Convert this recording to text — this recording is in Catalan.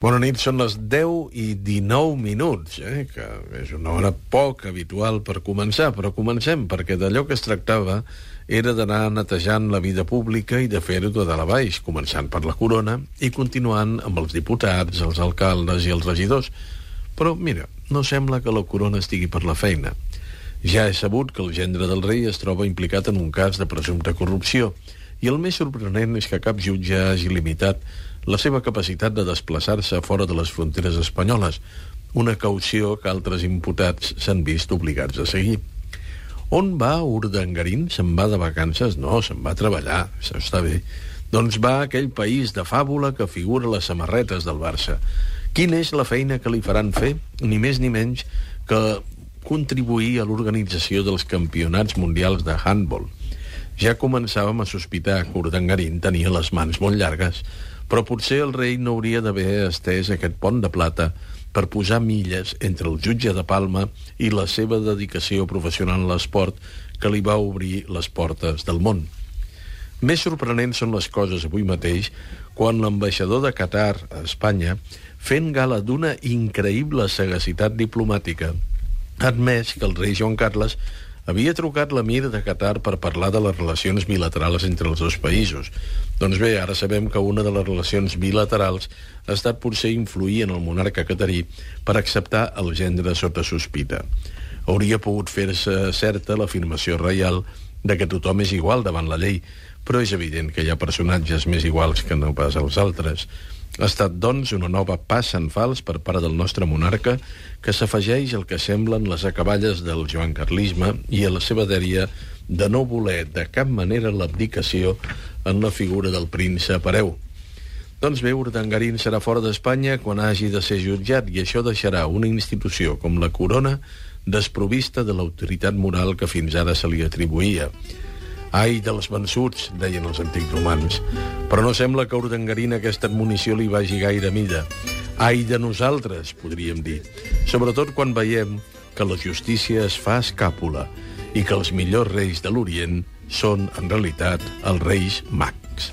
Bona nit, són les 10:19, que és una hora poc habitual per començar, però comencem, perquè d'allò que es tractava era d'anar netejant la vida pública i de fer-ho de dalt a baix, començant per la corona i continuant amb els diputats, els alcaldes i els regidors. Però, mira, no sembla que la corona estigui per la feina. Ja és sabut que el gendre del rei es troba implicat en un cas de presumpta corrupció, i el més sorprenent és que cap jutge hagi limitat la seva capacitat de desplaçar-se fora de les fronteres espanyoles, una caució que altres imputats s'han vist obligats a seguir. On va Urdangarín? Se'n va de vacances? No, se'n va a treballar, això està bé. Doncs va a aquell país de fàbula que figura a les samarretes del Barça. Quina és la feina que li faran fer? Ni més ni menys que contribuir a l'organització dels campionats mundials de handball. Ja començàvem a sospitar que Urdangarín tenia les mans molt llargues, però potser el rei no hauria d'haver estès aquest pont de plata per posar milles entre el jutge de Palma i la seva dedicació professional a l'esport que li va obrir les portes del món. Més sorprenents són les coses avui mateix quan l'ambaixador de Qatar a Espanya, fent gala d'una increïble sagacitat diplomàtica, ha admès que el rei Joan Carles havia trucat l'emir de Qatar per parlar de les relacions bilaterals entre els dos països. Doncs bé, ara sabem que una de les relacions bilaterals ha estat potser influir en el monarca catarí per acceptar el gendre sota sospita. Hauria pogut fer-se certa l'afirmació reial de que tothom és igual davant la llei, però és evident que hi ha personatges més iguals que no pas els altres. Ha estat, doncs, una nova passa en fals per part del nostre monarca que s'afegeix al que semblen les acaballes del joancarlisme i a la seva dèria de no voler de cap manera l'abdicació en la figura del príncep hereu. Doncs bé, Urdangarín serà fora d'Espanya quan hagi de ser jutjat i això deixarà una institució com la corona desprovista de l'autoritat moral que fins ara se li atribuïa. Ai dels vençuts, deien els antics romans. Però no sembla que a Urdangarín aquesta admonició li vagi gaire a mida. Ai de nosaltres, podríem dir. Sobretot quan veiem que la justícia es fa escàpula i que els millors reis de l'Orient són, en realitat, els reis mags.